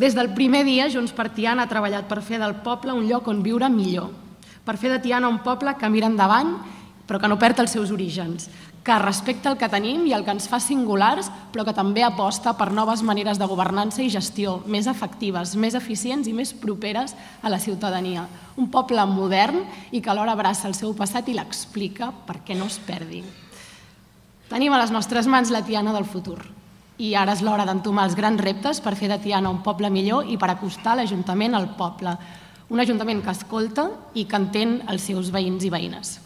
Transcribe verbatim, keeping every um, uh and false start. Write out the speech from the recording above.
Des del primer dia, Junts per Tiana ha treballat per fer del poble un lloc on viure millor, per fer de Tiana un poble que mira endavant però que no perd els seus orígens, que respecta el que tenim i el que ens fa singulars, però que també aposta per noves maneres de governança i gestió més efectives, més eficients i més properes a la ciutadania. Un poble modern i que alhora abraça el seu passat i l'explica perquè no es perdi. Tenim a les nostres mans la Tiana del futur i ara és l'hora d'entomar els grans reptes per fer de Tiana un poble millor i per acostar l'Ajuntament al poble. Un Ajuntament que escolta i que entén els seus veïns i veïnes.